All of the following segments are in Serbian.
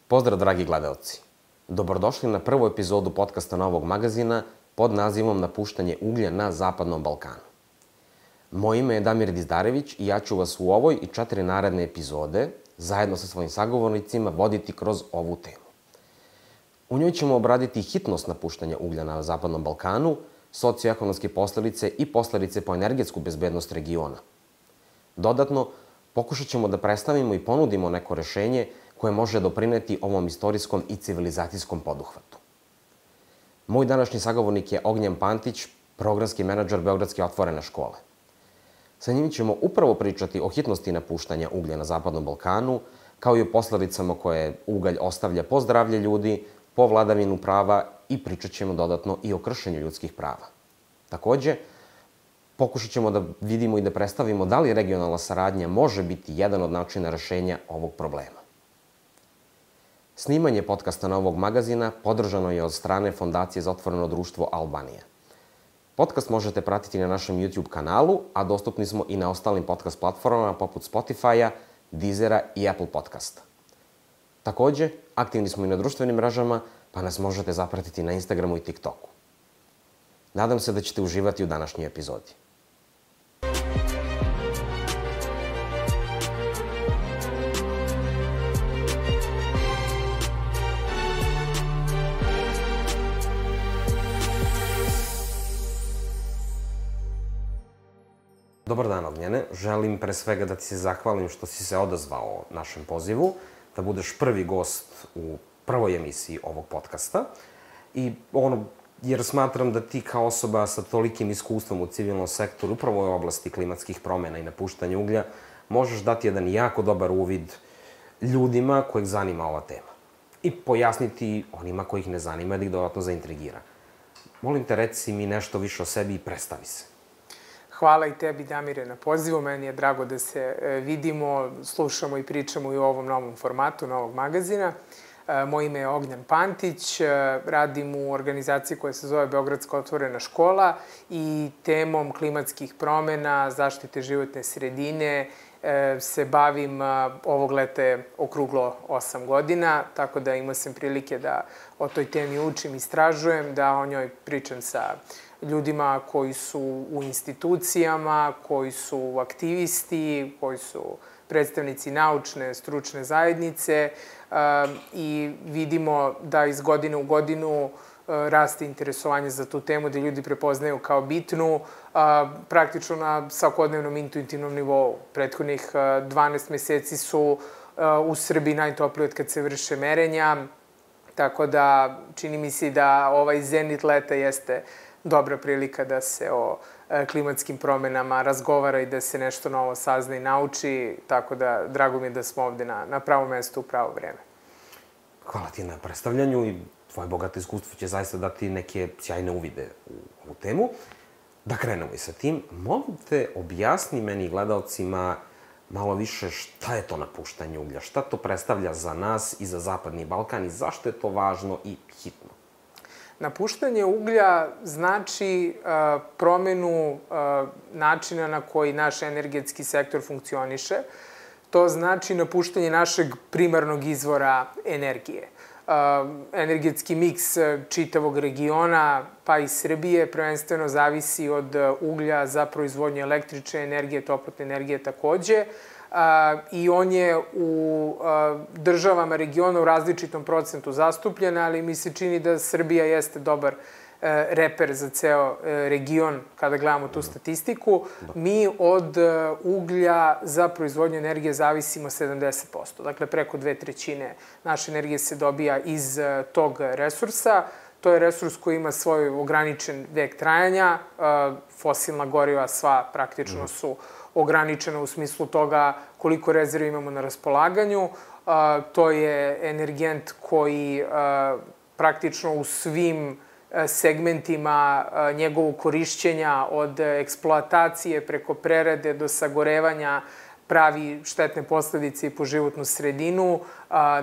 Pozdrav, dragi gledaoci. Dobrodošli na prvu epizodu podcasta Novog magazina pod nazivom Napuštanje uglja na Zapadnom Balkanu. Moje ime je Damir Dizdarević i ja ću vas u ovoj i 4 naredne epizode, zajedno sa svojim sagovornicima, voditi kroz ovu temu. U njoj ćemo obraditi hitnost napuštanja uglja na Zapadnom Balkanu, socioekonomske posledice i posledice po energetsku bezbednost regiona. Dodatno, pokušat ćemo da predstavimo i ponudimo neko rešenje koje može doprineti ovom istorijskom i civilizacijskom poduhvatu. Moj današnji sagovornik je Ognjen Pantić, programski menadžer Beogradske otvorene škole. Sa njim ćemo upravo pričati o hitnosti napuštanja uglja na Zapadnom Balkanu, kao i o posledicama koje ugalj ostavlja po zdravlje ljudi, po vladavinu prava i pričat ćemo dodatno i o kršenju ljudskih prava. Takođe, pokušat ćemo da vidimo i da predstavimo da li regionalna saradnja može biti jedan od načina rešenja ovog problema. Snimanje podcasta Novog magazina podržano je od strane Fondacije za otvoreno društvo Albanija. Podcast možete pratiti na našem YouTube kanalu, a dostupni smo i na ostalim podcast platformama poput Spotify-a, Deezera i Apple Podcasta. Takođe, aktivni smo i na društvenim mrežama, pa nas možete zapratiti na Instagramu i TikToku. Nadam se da ćete uživati u današnjoj epizodi. Dobar dan, Ognjene. Želim pre svega da ti se zahvalim što si se odazvao našem pozivu, da budeš prvi gost u prvoj emisiji ovog podcasta. Jer smatram da ti kao osoba sa tolikim iskustvom u civilnom sektoru, upravo u oblasti klimatskih promjena i napuštanja uglja, možeš dati jedan jako dobar uvid ljudima kojih zanima ova tema. I pojasniti onima kojih ne zanima da ih dodatno zaintrigira. Molim te, reci mi nešto više o sebi i predstavi se. Hvala i tebi, Damire, na pozivu. Meni je drago da se vidimo, slušamo i pričamo i u ovom novom formatu Novog magazina. Moje ime je Ognjen Pantić, radim u organizaciji koja se zove Beogradska otvorena škola i temom klimatskih promjena, zaštite životne sredine se bavim ovog leta okruglo 8 godina, tako da imao sam prilike da o toj temi učim, istražujem, da o njoj pričam sa ljudima koji su u institucijama, koji su aktivisti, koji su predstavnici naučne, stručne zajednice i vidimo da iz godine u godinu raste interesovanje za tu temu, da ljudi prepoznaju kao bitnu, praktično na svakodnevnom intuitivnom nivou. Prethodnih 12 meseci su u Srbiji najtopliji od kad se vrše merenja, tako da čini mi se da ovaj zenit leta jeste dobra prilika da se o klimatskim promjenama razgovara i da se nešto novo sazna i nauči, tako da drago mi je da smo ovde na pravom mestu u pravo vreme. Hvala ti na predstavljanju i tvoje bogato iskustvo će zaista dati neke sjajne uvide u ovu temu. Da krenemo i sa tim. Molim te, objasni meni i gledalcima malo više šta je to napuštanje uglja, šta to predstavlja za nas i za Zapadni Balkan i zašto je to važno i hitno. Napuštanje uglja znači promenu načina na koji naš energetski sektor funkcioniše. To znači napuštanje našeg primarnog izvora energije. Energetski miks čitavog regiona, pa i Srbije, prvenstveno zavisi od uglja za proizvodnju električne energije, toplotne energije takođe. I on je u državama regiona u različitom procentu zastupljen, ali mi se čini da Srbija jeste dobar reper za ceo region kada gledamo tu statistiku. Mi od uglja za proizvodnju energije zavisimo 70%. Dakle, preko 2/3 naše energije se dobija iz tog resursa. To je resurs koji ima svoj ograničen vek trajanja. Fosilna goriva sva praktično su ograničena u smislu toga koliko rezervi imamo na raspolaganju. To je energent koji praktično u svim segmentima njegovog korišćenja od eksploatacije preko prerade do sagorevanja pravi štetne posledice i po životnu sredinu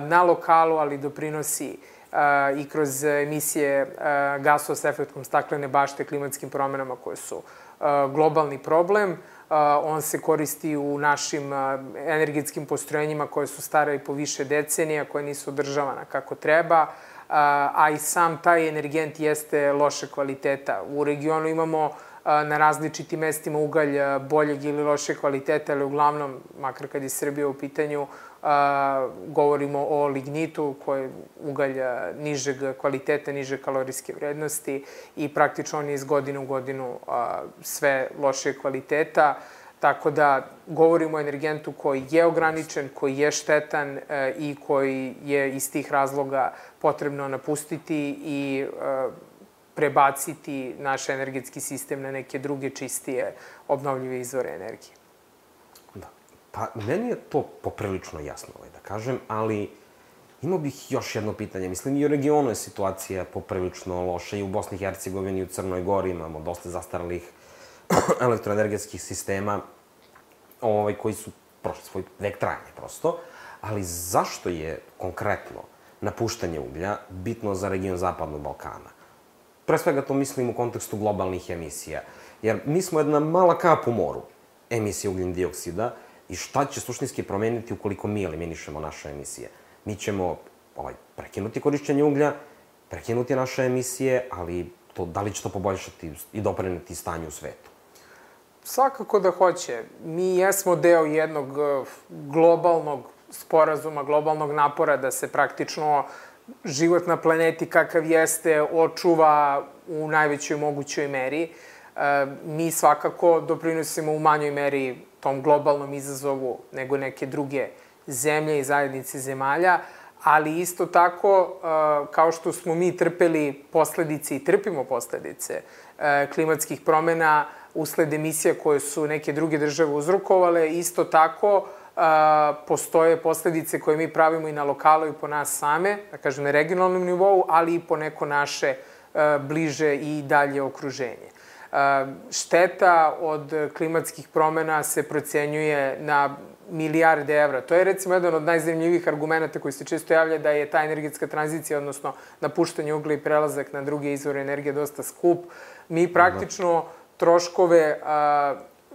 na lokalu, ali doprinosi i kroz emisije gasova s efektom staklene bašte klimatskim promjenama koje su globalni problem. on se koristi u našim energetskim postrojenjima koje su stare i po više decenija, koje nisu održavana kako treba, a i sam taj energent jeste loše kvaliteta. U regionu imamo na različitim mestima ugalj boljeg ili loše kvaliteta, ali uglavnom, makar kad je Srbija u pitanju, govorimo o lignitu, koji je ugalj nižeg kvaliteta, niže kalorijske vrednosti i praktično on je iz godine u godinu sve lošije kvaliteta. Tako da govorimo o energentu koji je ograničen, koji je štetan i koji je iz tih razloga potrebno napustiti i prebaciti naš energetski sistem na neke druge čistije obnovljive izvore energije. Da. Pa, meni je to poprilično jasno, da kažem, ali imao bih još jedno pitanje. Mislim, i u regionu je situacija poprilično loša, i u Bosni i Hercegovini, i u Crnoj Gori imamo dosta zastaralih elektroenergetskih sistema koji su prošli svoj vek trajanja, prosto. Ali zašto je konkretno napuštanje uglja bitno za region Zapadnog Balkana? Pre svega to mislim u kontekstu globalnih emisija. Jer mi smo jedna mala kap u moru emisije ugljen dioksida i šta će suštinski promeniti ukoliko mi eliminišemo naše emisije? Mi ćemo prekinuti korišćenje uglja, prekinuti naše emisije, ali da li će to poboljšati i doprineti stanju u svetu? Svakako da hoće. Mi jesmo deo jednog globalnog sporazuma, globalnog napora da se praktično život na planeti kakav jeste očuva u najvećoj mogućoj meri. Mi svakako doprinosimo u manjoj meri tom globalnom izazovu nego neke druge zemlje i zajednice zemalja, ali isto tako, kao što smo mi trpeli posledice i trpimo posledice klimatskih promena usled emisija koje su neke druge države uzrokovale, isto tako postoje posledice koje mi pravimo i na lokalu i po nas same, da kažem na regionalnom nivou, ali i po neko naše bliže i dalje okruženje. Šteta od klimatskih promena se procenjuje na milijarde evra. To je recimo jedan od najzanimljivijih argumenta koji se često javlja da je ta energetska tranzicija, odnosno napuštanje uglja i prelazak na druge izvore energije dosta skup. Mi praktično troškove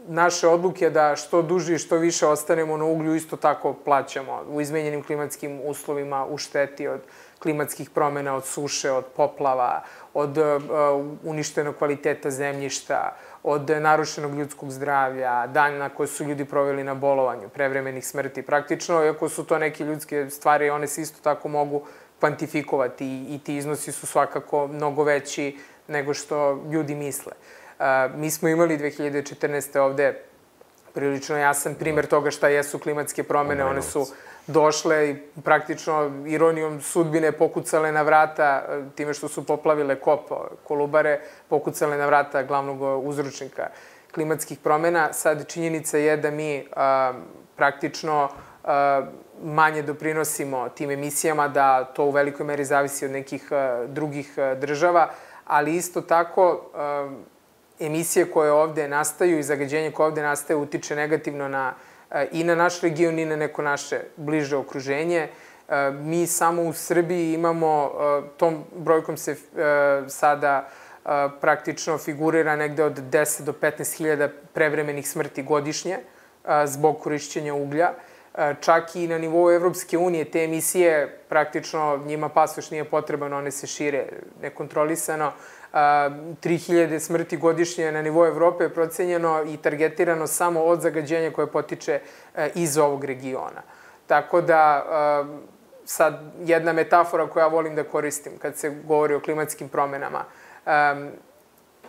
naše odluke da što duže i što više ostanemo na uglju isto tako plaćamo u izmenjenim klimatskim uslovima, u šteti od klimatskih promena, od suše, od poplava, od uništenog kvaliteta zemljišta, od narušenog ljudskog zdravlja, dana koje su ljudi proveli na bolovanju, prevremenih smrti. Praktično, iako su to neke ljudske stvari, one se isto tako mogu kvantifikovati i ti iznosi su svakako mnogo veći nego što ljudi misle. Mi smo imali 2014. ovde prilično jasan primer toga šta jesu klimatske promene. One su došle i praktično ironijom sudbine pokucale na vrata time što su poplavile kop Kolubare, pokucale na vrata glavnog uzročnika klimatskih promena. Sad činjenica je da mi praktično manje doprinosimo tim emisijama, da to u velikoj meri zavisi od nekih drugih država, ali isto tako emisije koje ovde nastaju i zagađenje koje ovde nastaje utiče negativno i na naš region i na neko naše bliže okruženje. Mi samo u Srbiji imamo, tom brojkom se sada praktično figurira negde od 10 do 15.000 prevremenih smrti godišnje zbog korišćenja uglja. Čak i na nivou Evropske unije te emisije praktično njima pasoš nije potreban, one se šire nekontrolisano. 3.000 smrti godišnje na nivou Evrope je procenjeno i targetirano samo od zagađenja koje potiče iz ovog regiona. Tako da, sad jedna metafora koju ja volim da koristim kad se govori o klimatskim promenama.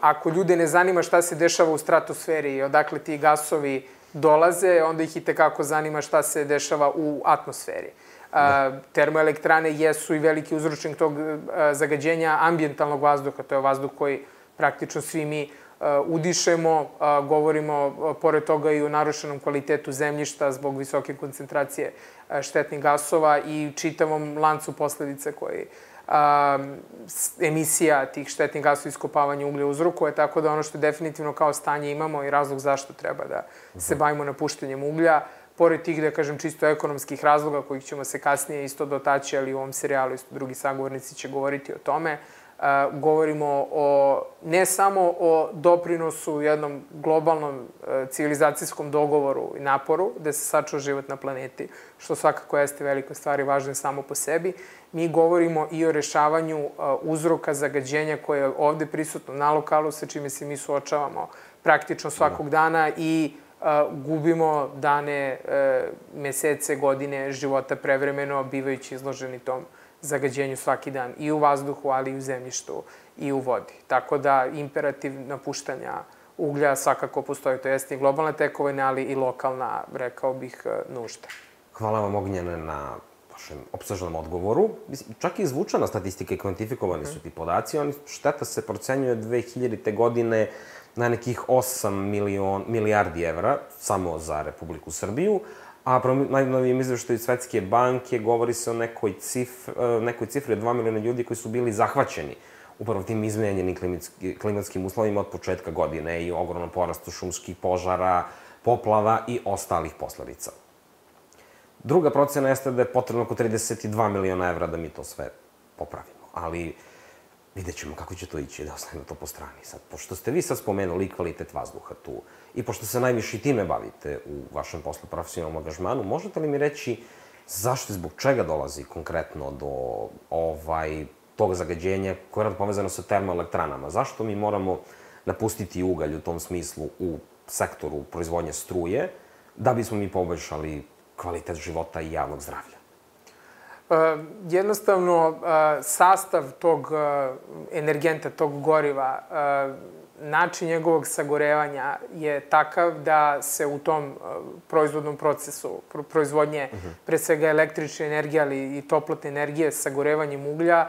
Ako ljude ne zanima šta se dešava u stratosferi i odakle ti gasovi dolaze, onda ih i tekako zanima šta se dešava u atmosferi. Termoelektrane jesu i veliki uzročnik tog zagađenja ambijentalnog vazduha. To je vazduh koji praktično svi mi udišemo. Govorimo pored toga i o narušenom kvalitetu zemljišta zbog visoke koncentracije štetnih gasova i čitavom lancu posledica koji emisija tih štetnih gasova iskopavanja uglja uzrokuje, tako da ono što definitivno kao stanje imamo i razlog zašto treba da se bavimo napuštanjem uglja, pored tih, da kažem, čisto ekonomskih razloga kojih ćemo se kasnije isto dotaći, ali u ovom serijalu isto drugi sagovornici će govoriti o tome, Govorimo ne samo o doprinosu jednom globalnom civilizacijskom dogovoru i naporu da se sačuva život na planeti, što svakako jeste velika stvar i važno samo po sebi. Mi govorimo i o rešavanju uzroka zagađenja koje je ovde prisutno na lokalu, sa čime se mi suočavamo praktično svakog dana i gubimo dane, mesece, godine života prevremeno, bivajući izloženi tom zagađenju svaki dan i u vazduhu, ali i u zemljištu i u vodi. Tako da imperativ napuštanja uglja svakako postoji. To jeste i globalna tekovina, ali i lokalna, rekao bih, nužda. Hvala vam, Ognjene, na vašem opsežnom odgovoru. Čak i izvučena statistika i kvantifikovani su ti podaci. Šteta se procenjuje 2000. godine na nekih 8 milijardi evra samo za Republiku Srbiju, a prema najnovijem izveštaju Svetske banke govori se o nekoj cifri od 2 miliona ljudi koji su bili zahvaćeni upravo tim izmenjenim klimatskim uslovima od početka godine i ogromnom porastu šumskih požara, poplava i ostalih posledica. Druga procena jeste da je potrebno oko 32 miliona evra da mi to sve popravimo, ali vidjet ćemo kako će to ići, da ostavimo to po strani. Sad, pošto ste vi sad spomenuli kvalitet vazduha tu i pošto se najviše time bavite u vašem poslu profesionalnom angažmanu, možete li mi reći zašto i zbog čega dolazi konkretno do tog zagađenja koje je povezano sa termoelektranama? Zašto mi moramo napustiti ugalj u tom smislu u sektoru proizvodnje struje da bismo mi poboljšali kvalitet života i javnog zdravlja? Jednostavno, sastav tog energenta, tog goriva, način njegovog sagorevanja je takav da se u tom proizvodnom procesu proizvodnje, pre svega električne energije, ali i toplotne energije, sagorevanjem uglja,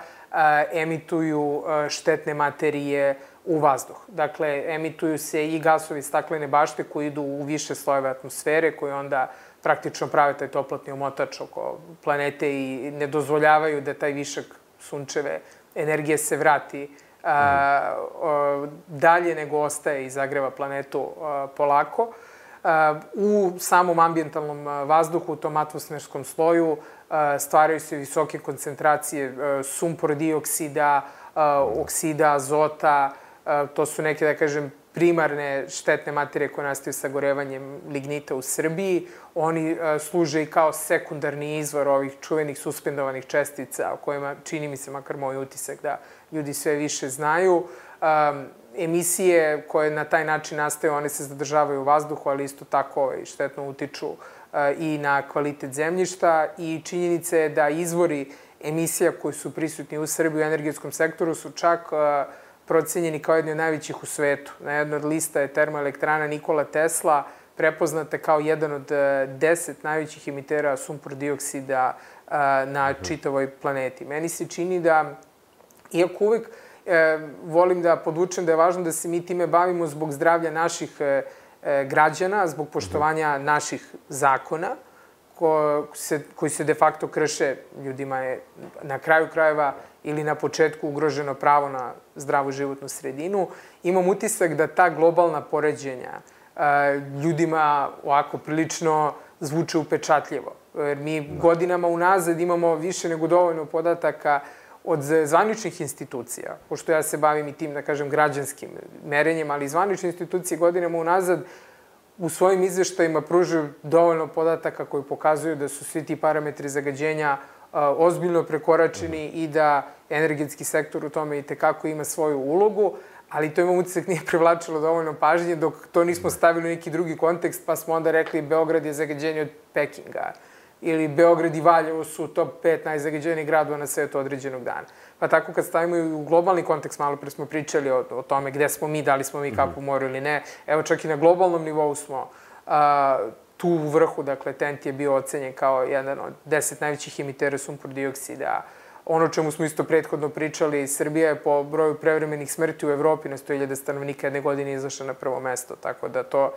emituju štetne materije u vazduh. Dakle, emituju se i gasovi staklene bašte koji idu u više slojeve atmosfere, koji onda praktično prave taj toplotni omotač oko planete i ne dozvoljavaju da taj višak sunčeve energije se vrati dalje nego ostaje i zagreva planetu polako. U samom ambijentalnom vazduhu, u tom atmosferskom sloju, stvaraju se visoke koncentracije sumpor dioksida, oksida, azota. To su neke, da kažem, primarne štetne materije koje nastaju sagorevanjem lignita u Srbiji. Oni služe i kao sekundarni izvor ovih čuvenih suspendovanih čestica, o kojima čini mi se, makar moj utisak, da ljudi sve više znaju. Emisije koje na taj način nastaju, one se zadržavaju u vazduhu, ali isto tako štetno utiču i na kvalitet zemljišta. I činjenica je da izvori emisija koji su prisutni u Srbiji u energetskom sektoru su čak procenjeni kao jedni od najvećih u svetu. Na jednoj od lista je termoelektrana Nikola Tesla, prepoznata kao jedan od 10 najvećih emitera sumpor dioksida na čitavoj planeti. Meni se čini da, iako uvek volim da podvučem da je važno da se mi time bavimo zbog zdravlja naših građana, zbog poštovanja naših zakona, koji se de facto krše, ljudima je na kraju krajeva ili na početku ugroženo pravo na zdravu životnu sredinu. Imam utisak da ta globalna poređenja ljudima ovako prilično zvuče upečatljivo. Jer mi godinama unazad imamo više nego dovoljno podataka od zvaničnih institucija, pošto ja se bavim i tim, da kažem, građanskim merenjem, ali zvanične institucije godinama unazad u svojim izveštajima pružaju dovoljno podataka koji pokazuju da su svi ti parametri zagađenja ozbiljno prekoračeni i da energetski sektor u tome i tekako ima svoju ulogu, ali to imam utisak nije privlačilo dovoljno pažnje dok to nismo stavili u neki drugi kontekst, pa smo onda rekli Beograd je zagađeniji od Pekinga ili Beograd i Valjevo su top 5 najzagađenijih gradova na svetu određenog dana. Pa tako kad stavimo i u globalni kontekst, malo pre smo pričali o tome gde smo mi, da li smo mi kapu u moru ili ne. Evo čak i na globalnom nivou smo tu u vrhu, dakle TENT je bio ocenjen kao jedan od 10 najvećih emitera sumpor dioksida. Ono čemu smo isto prethodno pričali, Srbija je po broju prevremenih smrti u Evropi na 100.000 stanovnika jedne godine izašla na prvo mesto, tako da to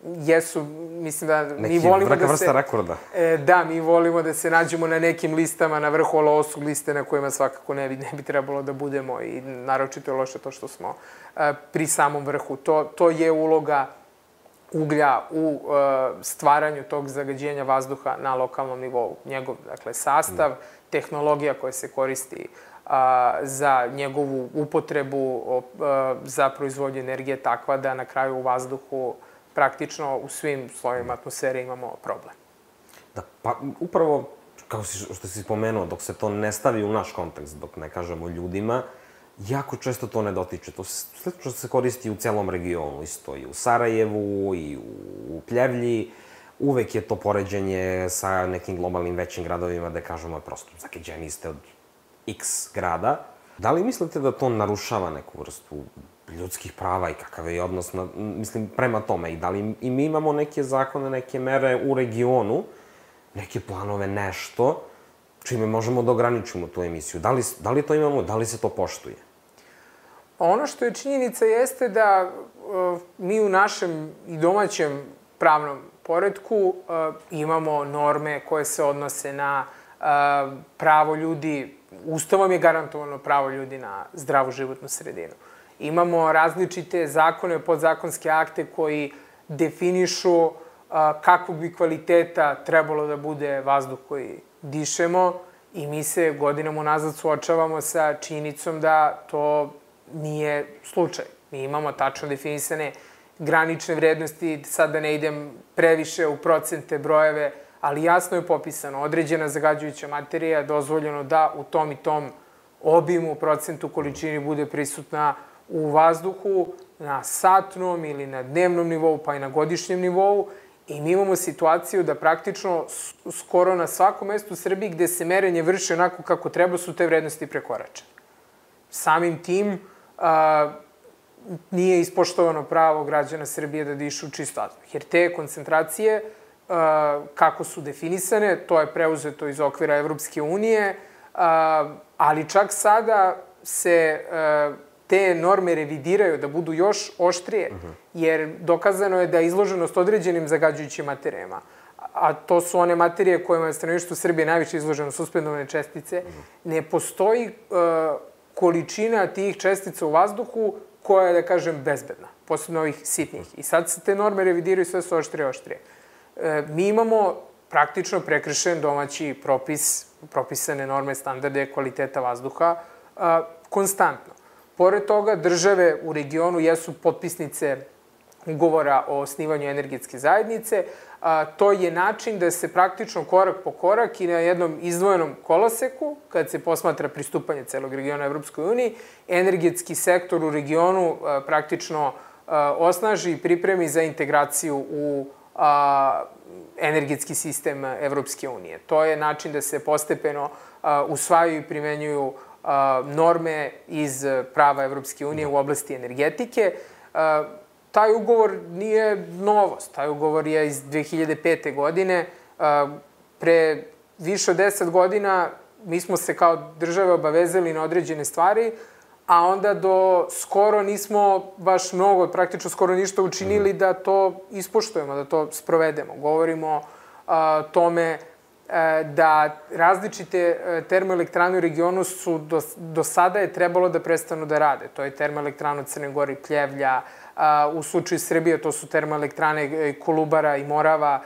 jesu, mislim da mi volimo da se... Neka vrsta rekorda. Da, mi volimo da se nađemo na nekim listama na vrhu, ali ovo su liste na kojima svakako ne bi trebalo da budemo i naročito je loše to što smo pri samom vrhu. To je uloga uglja u stvaranju tog zagađenja vazduha na lokalnom nivou. Njegov, dakle, sastav, tehnologija koja se koristi za njegovu upotrebu za proizvodnju energije takva da na kraju u vazduhu praktično u svim slojevima atmosfere imamo problem. Da, pa upravo, kao što si spomenuo, dok se to ne stavi u naš kontekst, dok ne kažemo ljudima, jako često to ne dotiče. To slično se koristi u celom regionu, isto i u Sarajevu, i u Pljevlji. Uvek je to poređenje sa nekim globalnim većim gradovima, da kažemo, prosto zakeđeni ste od X grada. Da li mislite da to narušava neku vrstu ljudskih prava i kakav je odnos, prema tome? I da li i mi imamo neke zakone, neke mere u regionu, neke planove, nešto, čime možemo da ograničimo tu emisiju? Da li to imamo, da li se to poštuje? Ono što je činjenica jeste da mi u našem i domaćem pravnom poretku imamo norme koje se odnose na pravo ljudi, Ustavom je garantovano pravo ljudi na zdravu životnu sredinu. Imamo različite zakone, podzakonske akte koji definišu kakvog bi kvaliteta trebalo da bude vazduh koji dišemo i mi se godinama unazad suočavamo sa činjenicom da to nije slučaj. Mi imamo tačno definisane granične vrednosti, sad da ne idem previše u procente, brojeve, ali jasno je popisano, određena zagađujuća materija je dozvoljeno da u tom i tom obimu, procentu, količini bude prisutna u vazduhu na satnom ili na dnevnom nivou, pa i na godišnjem nivou. I mi imamo situaciju da praktično skoro na svakom mestu u Srbiji gde se merenje vrši onako kako treba su te vrednosti prekoračene. Samim tim nije ispoštovano pravo građana Srbije da dišu čist vazduh. Jer te koncentracije, kako su definisane, to je preuzeto iz okvira Evropske unije, ali čak sada se te norme revidiraju da budu još oštrije, jer dokazano je da je izloženost određenim zagađujućim materijama, a to su one materije kojima je stanovništvo Srbije najviše izloženo, suspendovane čestice, ne postoji količina tih čestica u vazduhu koja je, da kažem, bezbedna, posebno ovih sitnih. I sad se te norme revidiraju, sve su oštrije i oštrije. Mi imamo praktično prekršen domaći propis, propisane norme, standarde, kvaliteta vazduha, konstantno. Pored toga, države u regionu jesu potpisnice ugovora o osnivanju energetske zajednice. To je način da se praktično korak po korak i na jednom izdvojenom koloseku, kad se posmatra pristupanje celog regiona Evropskoj uniji, energetski sektor u regionu praktično osnaži i pripremi za integraciju u energetski sistem Evropske unije. To je način da se postepeno usvajaju i primenjuju norme iz prava Evropske unije u oblasti energetike. Taj ugovor nije novost. Taj ugovor je iz 2005. godine. Pre više od 10 godina mi smo se kao države obavezali na određene stvari, a onda do skoro nismo baš mnogo, praktično skoro ništa učinili da to ispoštujemo, da to sprovedemo. Govorimo o tome da različite termoelektrane u regionu su do sada je trebalo da prestanu da rade. To je termoelektrana u Crnoj Gori, Pljevlja, u slučaju Srbije to su termoelektrane Kolubara i Morava.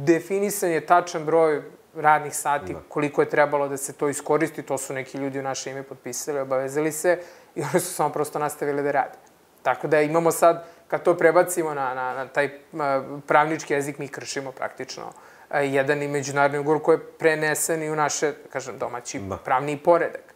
Definisan je tačan broj radnih sati, koliko je trebalo da se to iskoristi, to su neki ljudi u naše ime potpisali, obavezali se i oni su samo prosto nastavili da rade. Tako da imamo sad, kad to prebacimo na taj pravnički jezik, mi kršimo praktično jedan i međunarodni ugovor koji je prenesen i u naše, kažem, domaći pravni poredak.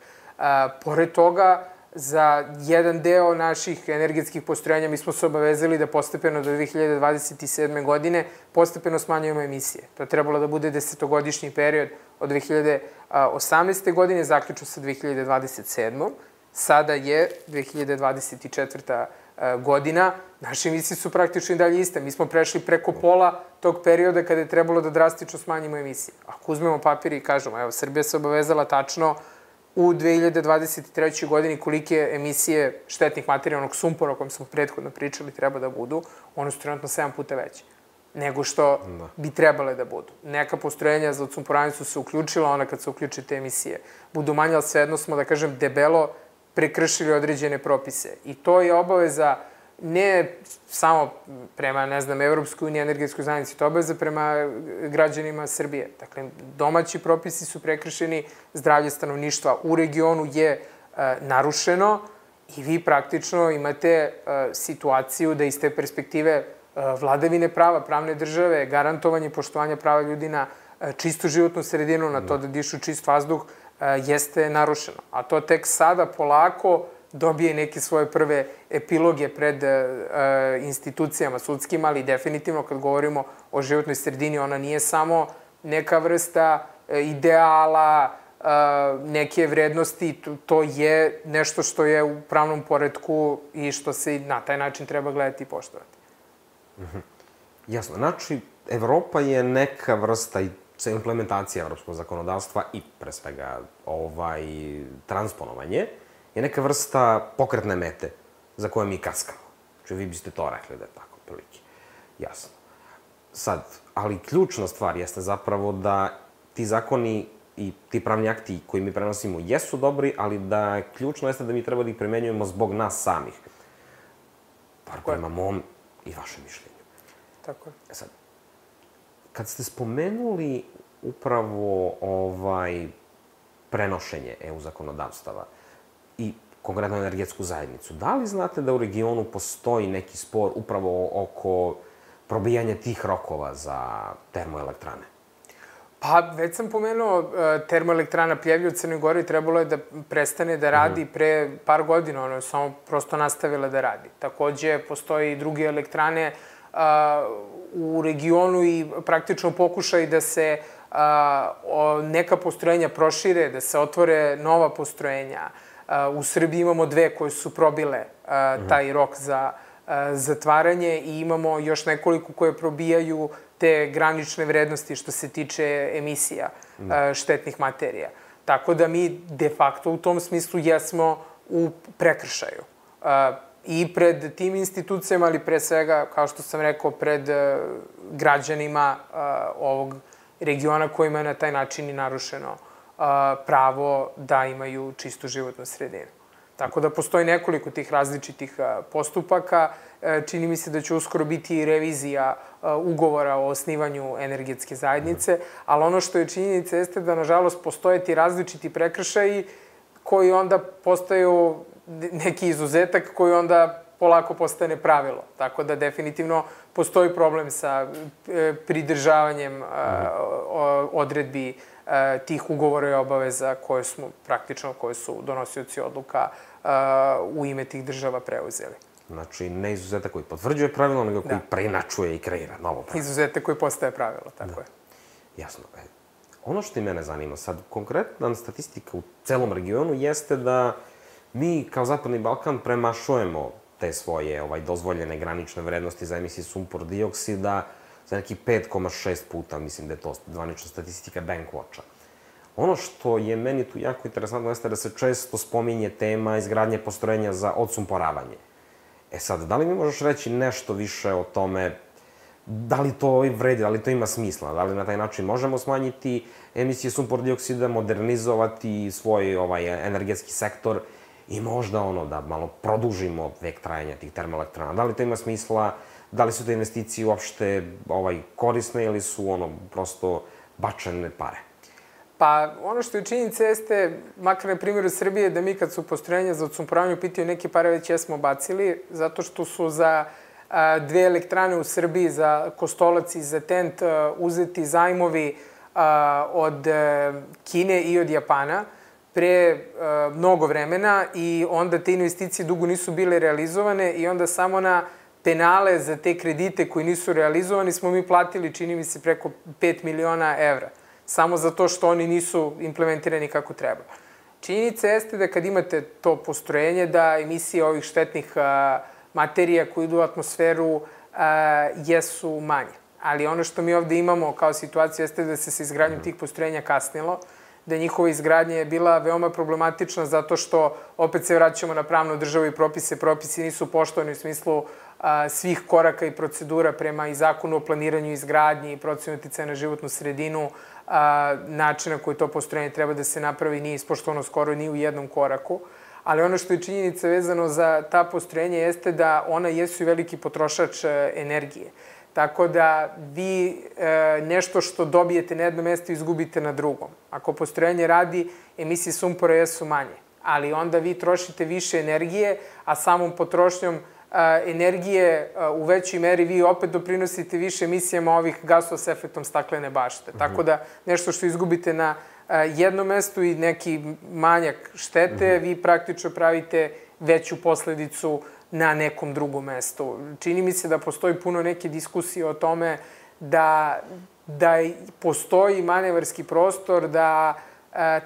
Pored toga, za jedan deo naših energetskih postrojenja mi smo se obavezali da postepeno do 2027. godine postepeno smanjujemo emisije. To je trebalo da bude 10-godišnji period od 2018. godine, zaključno sa 2027. Sada je 2024. godina. Naše emisije su praktično i dalje iste. Mi smo prešli preko pola tog perioda kada je trebalo da drastično smanjimo emisije. Ako uzmemo papir i kažemo, evo, Srbija se obavezala tačno u 2023. godini kolike emisije štetnih materija, onog sumpora o kojem smo prethodno pričali, treba da budu, one su trenutno 7 puta veće nego što bi trebale da budu. Neka postrojenja za odsumporavanje su se uključila, ona kad se uključe te emisije budu manje, ali svejedno smo, da kažem, debelo prekršili određene propise. I to je obaveza ne samo prema, ne znam, Evropskoj uniji, energetskoj zajednici, to je obaveza prema građanima Srbije. Dakle, domaći propisi su prekršeni, zdravlje stanovništva u regionu je narušeno i vi praktično imate situaciju da iz te perspektive vladavine prava, pravne države, garantovanje poštovanja prava ljudi na čistu životnu sredinu, na to da dišu čist vazduh, jeste narušeno. A to tek sada polako dobije neke svoje prve epiloge pred institucijama sudskim, ali definitivno kad govorimo o životnoj sredini, ona nije samo neka vrsta ideala, neke vrednosti, to je nešto što je u pravnom poretku i što se na taj način treba gledati i poštovati. Jasno. Znači, Evropa je neka vrsta implementacija evropskog zakonodavstva i, pre svega, transponovanje, je neka vrsta pokretne mete za koje mi kaskamo. Znači, vi biste to rekli da je tako, prilike. Jasno. Sad, ali ključna stvar jeste zapravo da ti zakoni i ti pravni akti koji mi prenosimo jesu dobri, ali da ključno jeste da mi treba da ih primenjujemo zbog nas samih. Bar prema mom i vašem mišljenju. Tako je. Sad, kad ste spomenuli upravo prenošenje EU zakonodavstava i konkretno energetsku zajednicu, da li znate da u regionu postoji neki spor upravo oko probijanja tih rokova za termoelektrane? Pa, već sam pomenuo, termoelektrana Pljevlja u Crnoj Gori trebalo je da prestane da radi pre par godina, ona je samo prosto nastavila da radi. Takođe, postoji i druge elektrane u regionu i praktično pokušaj da se neka postrojenja prošire, da se otvore nova postrojenja. U Srbiji imamo dve koje su probile taj rok za zatvaranje i imamo još nekoliko koje probijaju te granične vrednosti što se tiče emisija štetnih materija. Tako da mi de facto u tom smislu jesmo u prekršaju. I pred tim institucijama, ali pre svega, kao što sam rekao, pred građanima ovog regiona kojima je na taj način i narušeno pravo da imaju čistu životnu sredinu. Tako da postoji nekoliko tih različitih postupaka. Čini mi se da će uskoro biti i revizija ugovora o osnivanju energetske zajednice, ali ono što je činjenica jeste da, nažalost, postoje ti različiti prekršaji koji onda postaju neki izuzetak koji onda polako postane pravilo. Tako da definitivno postoji problem sa pridržavanjem odredbi tih ugovora i obaveza koje su donosioci odluka u ime tih država preuzeli. Znači, ne izuzetak koji potvrđuje pravilo, nego koji preinačuje i kreira novo pravilo. Izuzetak koji postaje pravilo, tako je. Jasno. Ono što i mene zanima, sad, konkretna statistika u celom regionu jeste da mi, kao Zapadni Balkan, premašujemo te svoje dozvoljene granične vrednosti za emisije sumpor dioksida za neki 5,6 puta, mislim da je to zvanična statistika Bankwatcha. Ono što je meni tu jako interesantno jeste da se često spominje tema izgradnje postrojenja za odsumporavanje. Sad, da li mi možeš reći nešto više o tome, da li to vredi, da li to ima smisla, da li na taj način možemo smanjiti emisije sumpor dioksida, modernizovati svoj energetski sektor i možda da malo produžimo vek trajanja tih termoelektrana. Da li to ima smisla, da li su te investicije uopšte korisne ili su prosto bačene pare? Pa, ono što je činjenica jeste, makar na primjeru Srbije, da mi kad su postrojenja za odsumporavanje u pitanju, neke pare već jesmo bacili, zato što su za dve elektrane u Srbiji, za Kostolac i za Tent, uzeti zajmovi od Kine i od Japana pre mnogo vremena i onda te investicije dugo nisu bile realizovane i onda samo na penale za te kredite koji nisu realizovani smo mi platili, čini mi se, preko 5 miliona evra. Samo zato što oni nisu implementirani kako treba. Činjenica jeste da kad imate to postrojenje, da emisije ovih štetnih materija koji idu u atmosferu jesu manje. Ali ono što mi ovde imamo kao situaciju jeste da se sa izgradnjom tih postrojenja kasnilo, da njihova izgradnja je bila veoma problematična zato što opet se vraćamo na pravnu državu i propise. Propisi nisu poštovani u smislu svih koraka i procedura prema i zakonu o planiranju i izgradnji i procenu uticaja na životnu sredinu, načina koji to postrojenje treba da se napravi nije ispoštovano skoro ni u jednom koraku. ali ono što je činjenica vezano za ta postrojenja jeste da ona jesu i veliki potrošač energije. Tako da vi nešto što dobijete na jednom mestu izgubite na drugom. Ako postrojenje radi, emisije sumpora jesu manje, ali onda vi trošite više energije, a samom potrošnjom energije u većoj meri vi opet doprinosite više emisijama ovih gasova s efektom staklene bašte. Tako da nešto što izgubite na jednom mestu i neki manjak štete, vi praktično pravite veću posledicu na nekom drugom mestu. Čini mi se da postoji puno neke diskusije o tome da postoji manevarski prostor da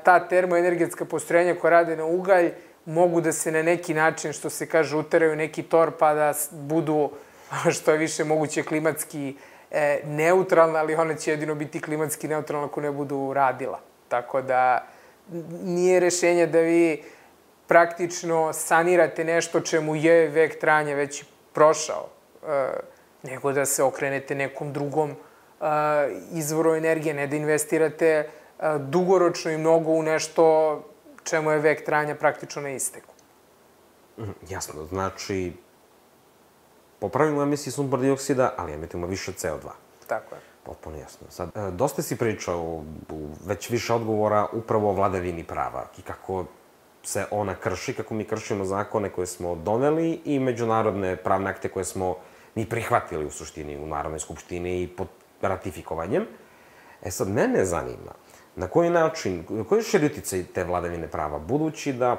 ta termoenergetska postrojenja koja rade na ugalj mogu da se na neki način, što se kaže, uteraju neki tor pa da budu što je više moguće klimatski neutralna, ali ona će jedino biti klimatski neutralna ako ne budu radila. Tako da nije rešenje da vi praktično sanirate nešto čemu je vek trajanja već prošao, nego da se okrenete nekom drugom izvoru energije, ne da investirate dugoročno i mnogo u nešto čemu je vek trajanja praktično na isteku. Jasno, znači popravimo emisiju sumpor dioksida, ali emitimo više CO2. Tako je. Potpuno jasno. Sad, dosta si pričao u već više odgovora upravo o vladavini prava i kako se ona krši, kako mi kršimo zakone koje smo doneli i međunarodne pravne akte koje smo mi prihvatili u suštini u Narodnoj skupštini i pod ratifikovanjem. Sad, mene zanima na koji način, koji je širi uticaj te vladavine prava, budući da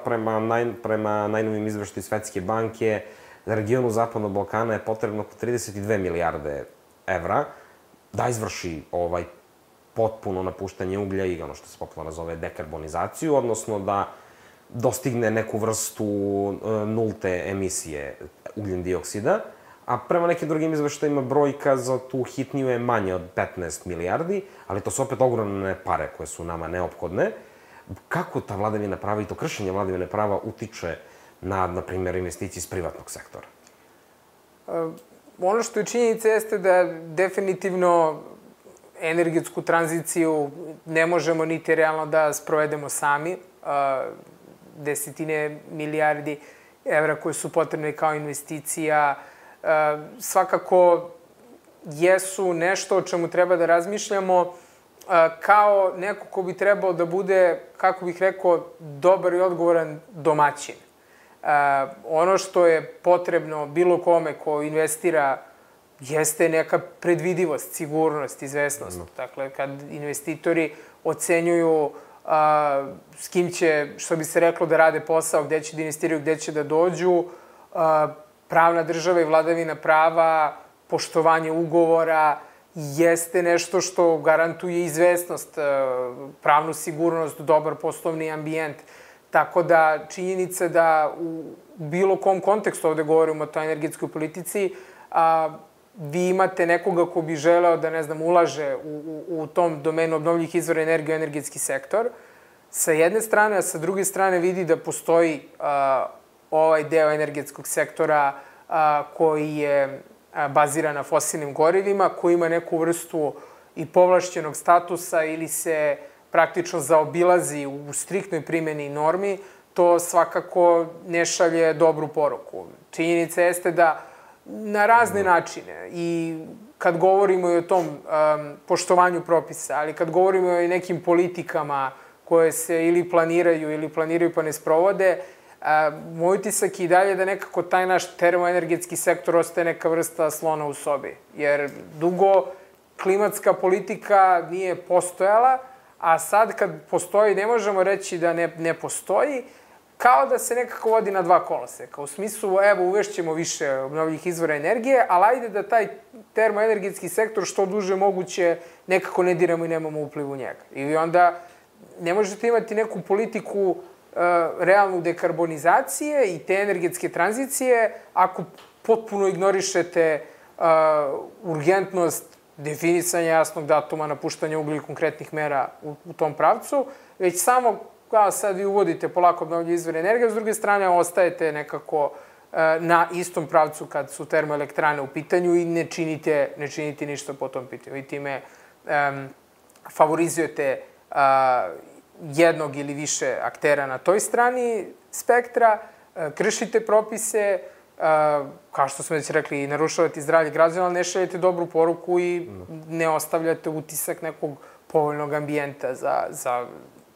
prema najnovim izveštaju Svetske banke za regionu Zapadnog Balkana je potrebno oko 32 milijarde evra da izvrši potpuno napuštanje uglja i ono što se popularno zove dekarbonizaciju, odnosno da dostigne neku vrstu nulte emisije ugljen dioksida, a prema nekim drugim izveštajima brojka za tu hitniju je manje od 15 milijardi, ali to su opet ogromne pare koje su nama neophodne. Kako ta vladavina prava i to kršenje vladavine prava utiče na primjer, investicije iz privatnog sektora? Ono što je činjenica jeste da definitivno energetsku tranziciju ne možemo niti realno da sprovedemo sami. Desetine milijardi evra koje su potrebne kao investicija svakako jesu nešto o čemu treba da razmišljamo kao neko ko bi trebao da bude, kako bih rekao, dobar i odgovoran domaćin. Ono što je potrebno bilo kome ko investira jeste neka predvidivost, sigurnost, izvesnost. Dakle, kad investitori ocenjuju s kim će, što bi se reklo, da rade posao, gde će da investiraju, gde će da dođu, pravna država i vladavina prava, poštovanje ugovora jeste nešto što garantuje izvesnost, pravnu sigurnost, dobar poslovni ambijent. Tako da činjenica da u bilo kom kontekstu, ovde govorimo o toj energetskoj politici, vi imate nekoga ko bi želeo da, ne znam, ulaže u tom domenu obnovljivih izvora energije u energetski sektor, sa jedne strane, a sa druge strane vidi da postoji ovaj deo energetskog sektora koji je baziran na fosilnim gorivima, koji ima neku vrstu i povlašćenog statusa ili se praktično zaobilazi u striktnoj primjeni normi, to svakako ne šalje dobru poruku. Činjenica jeste da na razne načine i kad govorimo i o tom poštovanju propisa, ali kad govorimo i o nekim politikama koje se ili planiraju pa ne sprovode, moj utisak je i dalje da nekako taj naš termoenergetski sektor ostaje neka vrsta slona u sobi. Jer dugo klimatska politika nije postojala, a sad kad postoji, ne možemo reći da ne postoji, kao da se nekako vodi na dva koloseka. U smislu, evo, uvešćemo više obnovljivih izvora energije, ali ajde da taj termoenergetski sektor što duže moguće nekako ne diramo i nemamo upliv u njega. I onda ne možete imati neku politiku realnu dekarbonizacije i te energetske tranzicije ako potpuno ignorišete urgentnost definisanja jasnog datuma napuštanja uglja i konkretnih mera u tom pravcu, već samo kao sad vi uvodite polako obnovljive izvore energije, a s druge strane ostajete nekako na istom pravcu kad su termoelektrane u pitanju i ne činite ništa po tom pitanju. I time favorizujete jednog ili više aktera na toj strani spektra, kršite propise, kao što smo već rekli, narušavate zdravlje građana, ali ne šaljete dobru poruku i ne ostavljate utisak nekog povoljnog ambijenta za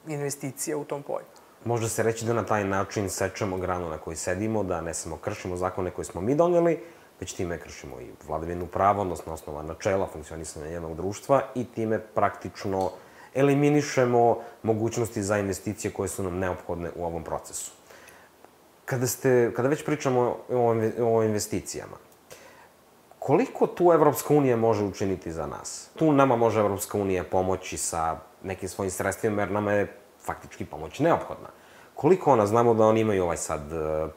investicije u tom polju. Može se reći da na taj način sečemo granu na kojoj sedimo, da ne samo kršimo zakone koje smo mi doneli, već time kršimo i vladavinu prava, odnosno osnova načela funkcionisanja jednog društva i time praktično eliminišemo mogućnosti za investicije koje su nam neophodne u ovom procesu. Kada već pričamo o investicijama, koliko tu Evropska unija može učiniti za nas? Tu nama može Evropska unija pomoći sa nekim svojim sredstvima, jer nama je faktički pomoć neophodna. Koliko ona? Znamo da oni imaju sad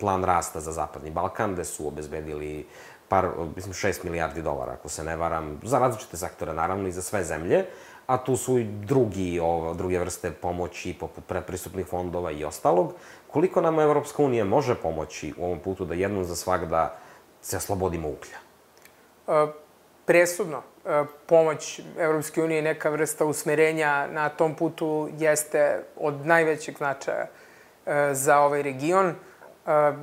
plan rasta za Zapadni Balkan, gde su obezbedili 6 milijardi dolara, ako se ne varam, za različite sektore, naravno, i za sve zemlje, a tu su i druge vrste pomoći, poput predpristupnih fondova i ostalog. Koliko nama Evropska unija može pomoći u ovom putu da jednom za svagda se oslobodimo uglja? Presudno. Pomoć Evropske unije i neka vrsta usmerenja na tom putu jeste od najvećeg značaja za ovaj region.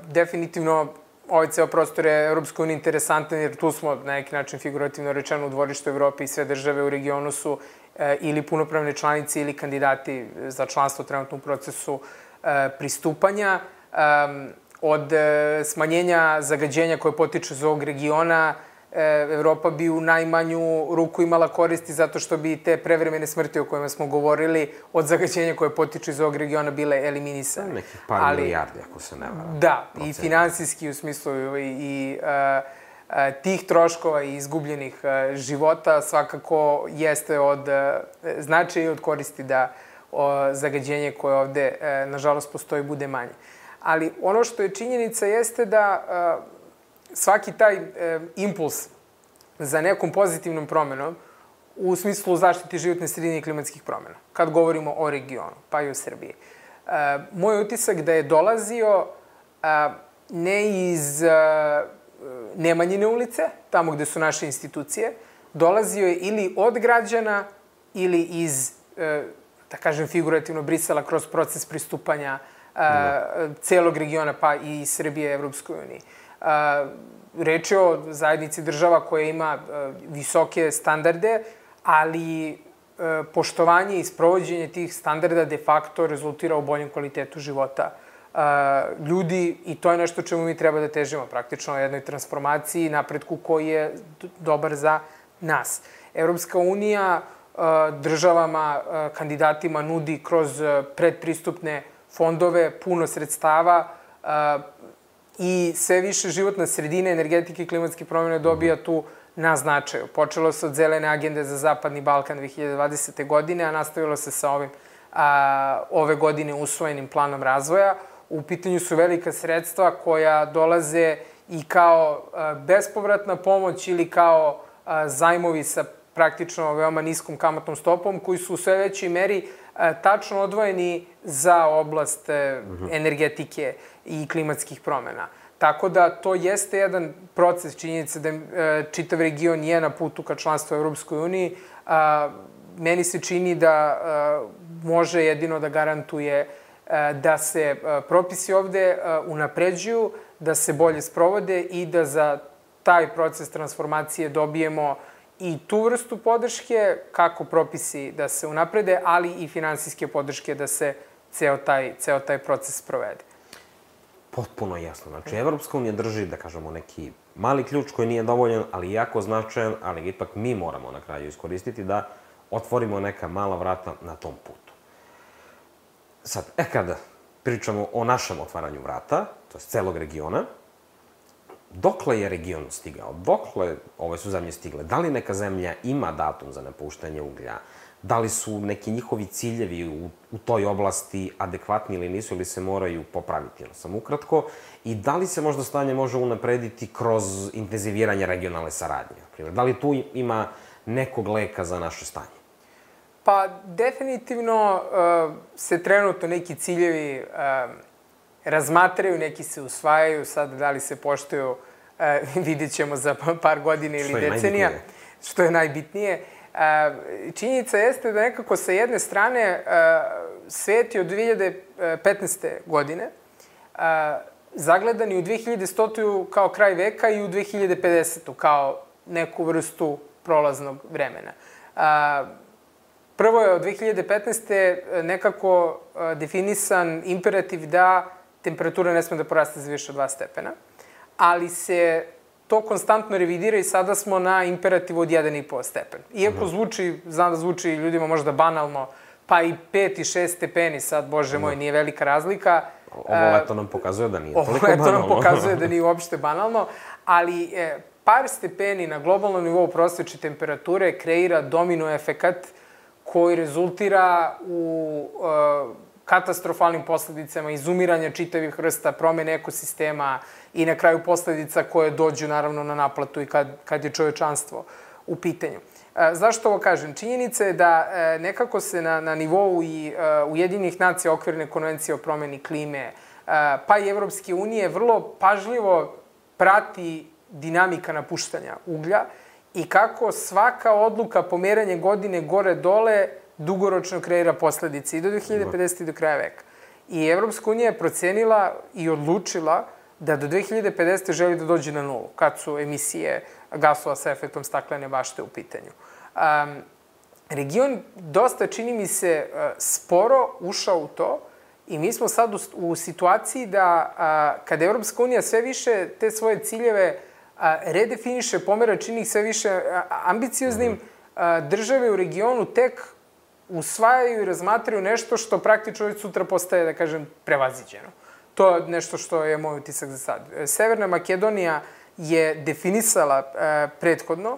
Definitivno, ovaj ceo prostor je Evropska unija interesantan, jer tu smo, na neki način, figurativno rečeno, u dvorištu Evrope i sve države u regionu su ili punopravne članice ili kandidati za članstvo trenutno u procesu pristupanja. Od smanjenja zagađenja koje potiče iz ovog regiona, Evropa bi u najmanju ruku imala koristi zato što bi te prevremene smrti o kojima smo govorili od zagađenja koje potiču iz ovog regiona bile eliminisane. Nekih par milijardi, ako se ne varam. Da, i finansijski u smislu i tih troškova i izgubljenih života svakako jeste od značaja i od koristi da zagađenje koje ovde, nažalost, postoji bude manje. Ali ono što je činjenica jeste da svaki taj impuls za nekom pozitivnom promenom u smislu zaštite životne sredine i klimatskih promena, kad govorimo o regionu, pa i o Srbiji. Moj utisak da je dolazio ne iz Nemanjine ulice, tamo gde su naše institucije, dolazio je ili od građana ili iz, da kažem figurativno, Brisela kroz proces pristupanja celog regiona, pa i Srbije Evropskoj uniji. Reč je o zajednici država koja ima visoke standarde, ali poštovanje i sprovođenje tih standarda de facto rezultira u boljem kvalitetu života ljudi i to je nešto čemu mi treba da težimo, praktično o jednoj transformaciji i napretku koji je dobar za nas. Evropska unija državama, kandidatima nudi kroz predpristupne fondove puno sredstava i sve više životna sredina, energetike i klimatske promjene dobija tu na značaju. Počelo se od zelene agende za Zapadni Balkan 2020. godine, a nastavilo se sa ovim ove godine usvojenim planom razvoja. U pitanju su velika sredstva koja dolaze i kao bespovratna pomoć ili kao zajmovi sa praktično veoma niskom kamatnom stopom, koji su u sve većoj meri tačno odvojeni za oblast energetike i klimatskih promjena. Tako da to jeste jedan proces, činjenica da čitav region je na putu ka članstvu u Evropskoj uniji. Meni se čini da može jedino da garantuje da se propisi ovde unapređuju, da se bolje sprovode i da za taj proces transformacije dobijemo i tu vrstu podrške, kako propisi da se unaprede, ali i finansijske podrške da se ceo taj proces sprovede. Potpuno jasno. Znači, Evropska unija drži, da kažemo, neki mali ključ koji nije dovoljan, ali jako značajan, ali ipak mi moramo na kraju iskoristiti da otvorimo neka mala vrata na tom putu. Sad, kada pričamo o našem otvaranju vrata, to je celog regiona, dokle je region stigao? Dokle ove su zemlje stigle? Da li neka zemlja ima datum za napuštanje uglja? Da li su neki njihovi ciljevi u toj oblasti adekvatni ili nisu, ili se moraju popraviti, samo ukratko? I da li se možda stanje može unaprediti kroz intenziviranje regionalne saradnje? Da li tu ima nekog leka za naše stanje? Pa, definitivno se trenutno neki ciljevi razmatraju, neki se usvajaju, sad da li se poštuju, vidjet ćemo za par godina ili decenija. Što je najbitnije. Činjenica jeste da nekako sa jedne strane svet je od 2015. godine zagledan i u 2100. kao kraj veka i u 2050. kao neku vrstu prolaznog vremena. Prvo je od 2015. nekako definisan imperativ da temperatura ne sme da poraste za više od 2 stepena, ali se to konstantno revidira i sada smo na imperativu od 1,5 stepen. Iako znam da zvuči ljudima možda banalno, pa i 5 i 6 stepeni sad, bože moj, nije velika razlika. Ovo leto nam pokazuje da nije toliko banalno. Ovo leto nam pokazuje da nije uopšte banalno, ali par stepeni na globalnom nivou prosječne temperature kreira domino efekat koji rezultira u katastrofalnim posledicama, izumiranja čitavih vrsta, promene ekosistema i na kraju posledica koje dođu naravno na naplatu i kad je čovečanstvo u pitanju. Zašto ovo kažem? Činjenica je da nekako se na nivou i Ujedinjenih nacija okvirne konvencije o promeni klime, pa i Evropske unije, vrlo pažljivo prati dinamika napuštanja uglja i kako svaka odluka pomeranje godine gore-dole dugoročno kreira posledice i do 2050. i do kraja veka. I Evropska unija je procenila i odlučila da do 2050. želi da dođe na nulu, kad su emisije gasova sa efektom staklene bašte u pitanju. Region dosta, čini mi se, sporo ušao u to i mi smo sad u situaciji da kada Evropska unija sve više te svoje ciljeve redefiniše, pomera, čini ih sve više ambicioznim, države u regionu tek usvajaju i razmatraju nešto što praktično već sutra postaje, da kažem, prevaziđeno. To je nešto što je moj utisak za sad. Severna Makedonija je definisala prethodno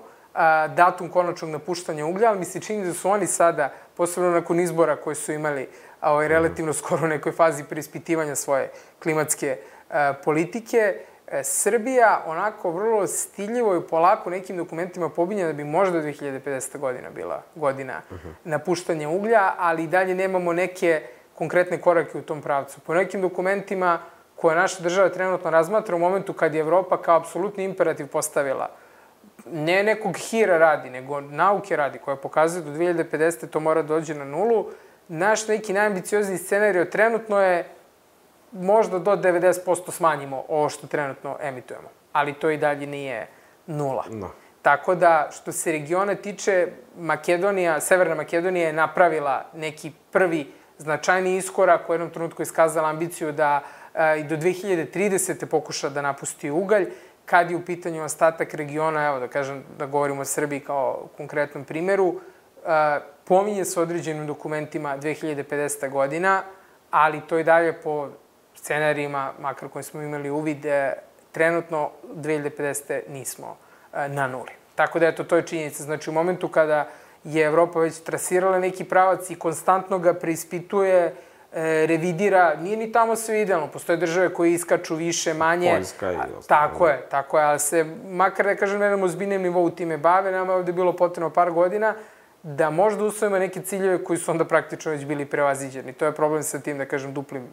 datum konačnog napuštanja uglja, ali mi se čini da su oni sada, posebno nakon izbora koje su imali relativno skoro u nekoj fazi preispitivanja svoje klimatske politike, Srbija onako vrlo stiljivo i polako nekim dokumentima pobinja da bi možda 2050. godina bila godina napuštanja uglja, ali i dalje nemamo neke konkretne korake u tom pravcu. Po nekim dokumentima koje naša država trenutno razmatra u momentu kad je Evropa kao apsolutni imperativ postavila, ne nekog hira radi, nego nauke radi, koja pokazuje do 2050. to mora dođe na nulu, naš neki najambiciozniji scenario trenutno je možda do 90% smanjimo ovo što trenutno emitujemo. Ali to i dalje nije nula. No. Tako da, što se regiona tiče, Severna Makedonija je napravila neki prvi značajni iskorak, u jednom trenutku iskazala ambiciju da i do 2030. pokuša da napusti ugalj. Kad je u pitanju ostatak regiona, evo da kažem, da govorimo o Srbiji kao konkretnom primeru, pominje se određenim dokumentima 2050. godina, ali to i dalje po scenarijima, makar koji smo imali uvid, trenutno 2050. nismo na nuli. Tako da, eto, to je činjenica. Znači, u momentu kada je Evropa već trasirala neki pravac i konstantno ga preispituje, revidira, nije ni tamo sve idealno. Postoje države koje iskaču više, manje. Poljska i ostalo. Tako je, ali se, makar da kažem, na jednom ozbiljnem nivou time bave, nama je ovde bilo potrebno par godina da možda usvojimo neke ciljeve koji su onda praktično već bili prevaziđeni. To je problem sa tim, da kažem, duplim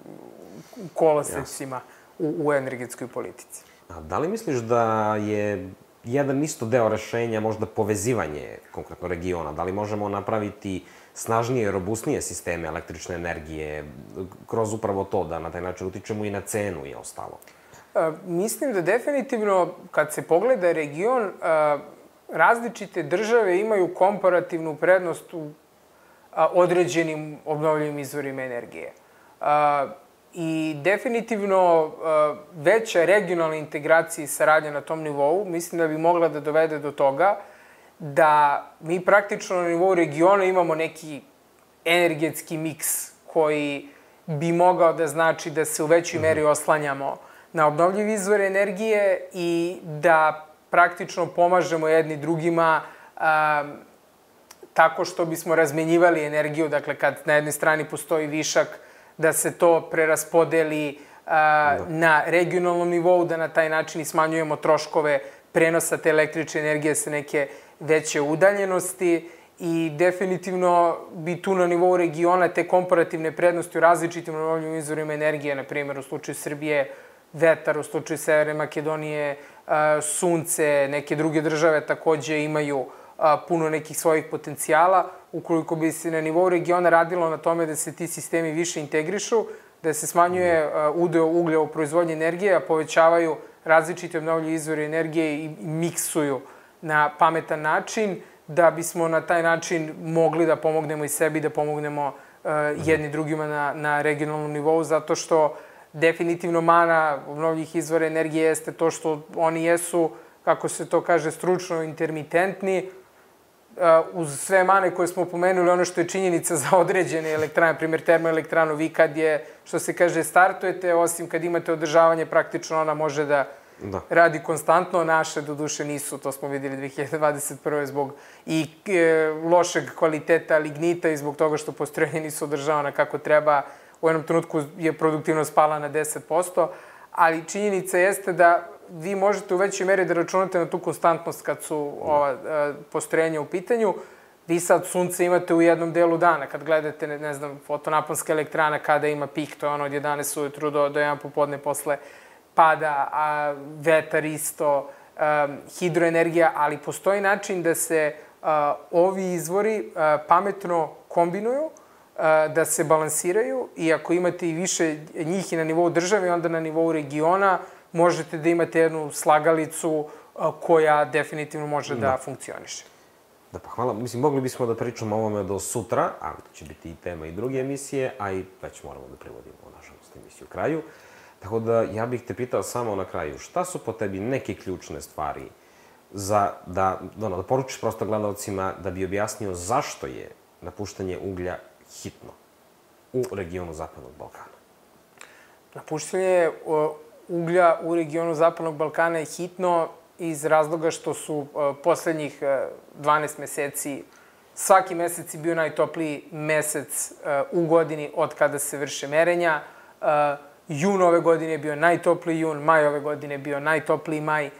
kolosecima u energetskoj politici. A da li misliš da je jedan isto deo rešenja možda povezivanje konkretno regiona? Da li možemo napraviti snažnije i robustnije sisteme električne energije kroz upravo to, da na taj način utičemo i na cenu i ostalo? Mislim da definitivno, kad se pogleda region, različite države imaju komparativnu prednost u određenim obnovljivim izvorima energije. I definitivno veća regionalna integracija i saradnja na tom nivou, mislim da bi mogla da dovede do toga da mi praktično na nivou regiona imamo neki energetski miks koji bi mogao da znači da se u većoj meri oslanjamo na obnovljive izvore energije i da praktično pomažemo jedni drugima tako što bismo razmenjivali energiju, dakle kad na jednoj strani postoji višak, da se to preraspodeli na regionalnom nivou, da na taj način smanjujemo troškove prenosa te električne energije sa neke veće udaljenosti i definitivno bi tu na nivou regiona te komparativne prednosti u različitim obnovljivim izvorima energije, na primjer u slučaju Srbije vetar, u slučaju Severne Makedonije sunce, neke druge države takođe imaju puno nekih svojih potencijala. Ukoliko bi se na nivou regiona radilo na tome da se ti sistemi više integrišu, da se smanjuje udeo uglja u proizvodnji energije, a povećavaju različite obnovljive izvore energije i miksuju na pametan način, da bismo na taj način mogli da pomognemo i sebi, da pomognemo jedni drugima na regionalnom nivou, zato što definitivno mana obnovljivih izvora energije jeste to što oni jesu, kako se to kaže, stručno intermitentni. Uz sve mane koje smo pomenuli, ono što je činjenica za određene elektrane, primjer termoelektranu, vi kad je, što se kaže, startujete, osim kad imate održavanje, praktično ona može da radi konstantno. Naše, do duše, nisu, to smo videli 2021. zbog i lošeg kvaliteta lignita i zbog toga što postrojenja nisu održavana kako treba. U jednom trenutku je produktivnost pala na 10%, ali činjenica jeste da vi možete u većoj meri da računate na tu konstantnost kad su ova postrojenja u pitanju. Vi sad sunce imate u jednom delu dana. Kad gledate, ne znam, fotonaponska elektrana kada ima pik, to je ono od 11 ujutru do 1 popodne posle pada, a vetar isto, hidroenergija, ali postoji način da se ovi izvori pametno kombinuju, da se balansiraju i ako imate i više njih i na nivou države, onda na nivou regiona možete da imate jednu slagalicu koja definitivno može da funkcioniše. Da, pa hvala. Mislim, mogli bismo da pričamo o ovome do sutra, ali to će biti i tema i druge emisije, a i već moramo da privodimo, nažalost, emisiju u kraju. Tako da, ja bih te pitao samo na kraju, šta su po tebi neke ključne stvari za da poručiš prosto gledalcima da bi objasnio zašto je napuštanje uglja hitno u regionu Zapadnog Balkana? Napuštanje uglja u regionu Zapadnog Balkana je hitno iz razloga što su poslednjih 12 meseci, svaki mesec je bio najtopliji mesec u godini od kada se vrše merenja. Jun ove godine je bio najtopliji jun, maj ove godine je bio najtopliji maj,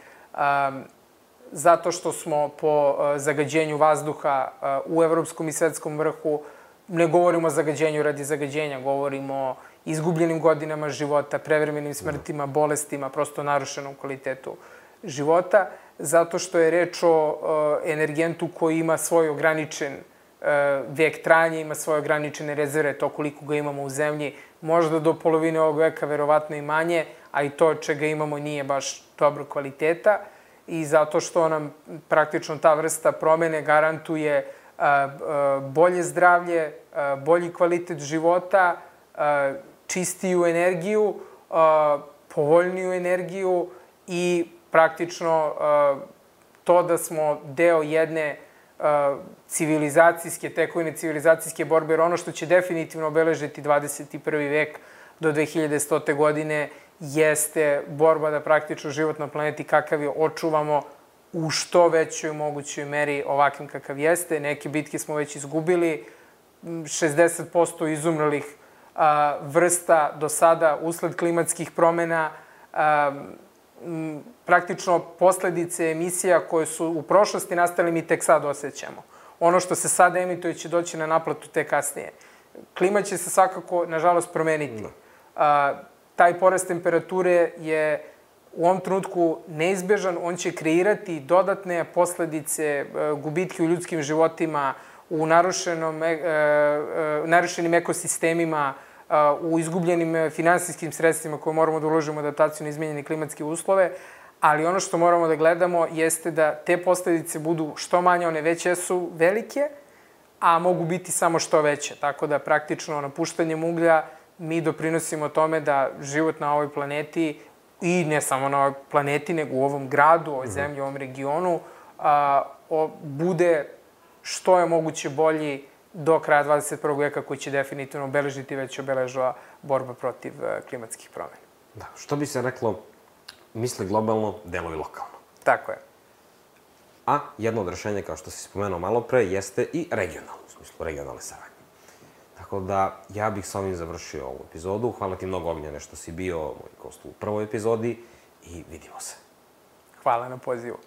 zato što smo po zagađenju vazduha u evropskom i svetskom vrhu. Ne govorimo o zagađenju radi zagađenja, govorimo o izgubljenim godinama života, prevremenim smrtima, bolestima, prosto narušenom kvalitetu života, zato što je reč o energentu koji ima svoj ograničen vek trajanja, ima svoje ograničene rezerve, to koliko ga imamo u zemlji, možda do polovine ovog veka, verovatno i manje, a i to čega imamo nije baš dobro kvaliteta i zato što nam praktično ta vrsta promene garantuje bolje zdravlje, bolji kvalitet života, čistiju energiju, povoljniju energiju i praktično to da smo deo jedne civilizacijske tekovine, civilizacijske borbe, jer ono što će definitivno obeležiti 21. vek do 2100. godine jeste borba da praktično život na planeti kakav je očuvamo u što većoj mogućoj meri ovakvim kakav jeste. Neke bitke smo već izgubili, 60% izumrlih vrsta do sada usled klimatskih promena, praktično posledice emisija koje su u prošlosti nastale mi tek sad osjećamo. Ono što se sada emituje će doći na naplatu tek kasnije. Klima će se svakako, nažalost, promeniti. Taj porast temperature je u ovom trenutku neizbežan, on će kreirati dodatne posledice, gubitke u ljudskim životima, u narušenim ekosistemima, u izgubljenim finansijskim sredstvima koje moramo da uložimo adaptaciju na izmenjene klimatske uslove, ali ono što moramo da gledamo jeste da te posledice budu što manje, one već jesu velike, a mogu biti samo što veće. Tako da praktično napuštanjem uglja mi doprinosimo tome da život na ovoj planeti i ne samo na ovoj planeti, nego u ovom gradu, ovoj zemlji, u ovom regionu, bude što je moguće bolji do kraja 21. veka koji će definitivno obeležiti, već obeležava borba protiv klimatskih promena. Da, što bi se reklo, misli globalno, deluj lokalno. Tako je. A jedno od rešenja, kao što si spomenuo malo pre, jeste i regionalno, u smislu regionalne saradnje. Tako da, ja bih sa ovim završio ovu epizodu. Hvala ti mnogo, Ognjene, što si bio moj gost u prvoj epizodi i vidimo se. Hvala na pozivu.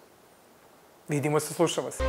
Vidimo se, slušamo se.